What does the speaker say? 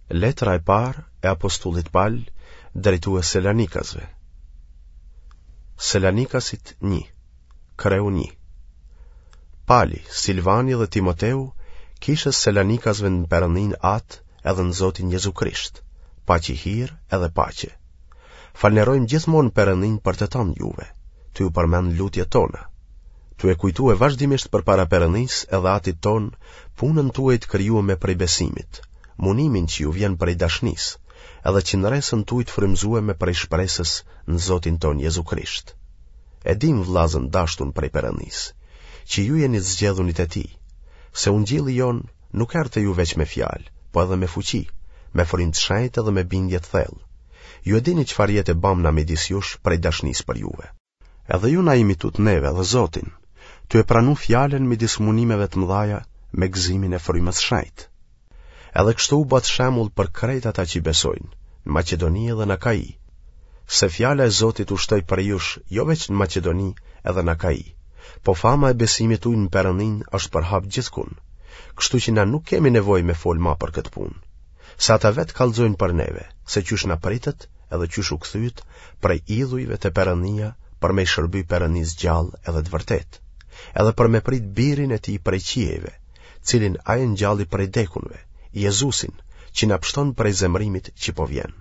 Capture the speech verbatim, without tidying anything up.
Letra e parë e apostullit Pal drejtue Selanikasve. Selanikasit një, kreu një. Pali, Silvani dhe Timoteu, kishës Selanikasve në Perëndinë Atë edhe në Zotin Jezu Krisht, paçi hir edhe paqe. Falnerojmë gjithmonë Perëndinë për të tanë juve, tu ju përmend n'lutjet tona, tu e kujtue vazhdimisht përpara Perëndisë edhe Atit tonë punën tuaj të krijueme prej besimit, munimin që ju vjen prej dashnisë, edhe qëndresën tuaj të frymëzueme prej shpresës në Zotin tonë Jezu Krisht. E dimë vëllazën dashtun prej Perëndisë, që ju jeni të zgjedhunit e tij, se ungjilli jonë nuk erdh te ju veç me fjalë, po edhe me fuqi, me frymë të shenjtë edhe me bindje të thellë. Ju e dini çfarë jete bamë na midis jush prej dashnisë për juve. Edhe ju na imitut neve dhe Zotin, tu e pranu fjalën midis munimeve të mëdhaja me gëzimin e frymës shenjtë. Edhe kështu u bëtë shembull për krejt ata që besojnë, në Maqedoni edhe në Akai, se fjala e Zotit u shtoi prej jush jo veç në Maqedoni edhe në Akai, po fama e besimit tuj në Perëndinë është përhap gjithkund, kështu që na nuk kemi nevojë me fol ma për këtë punë. Se ata vetë kallxojnë për neve, se qysh na pritët edhe qysh u kthyet prej idhujve te Perëndia për me i shërby Perëndisë gjallë edhe të vërtetë, edhe për me prit birin e tij prej qiejve, cilin ai e ngjalli prej dekunve, Jezusin, që na pshton prej zemrimit që po vjen.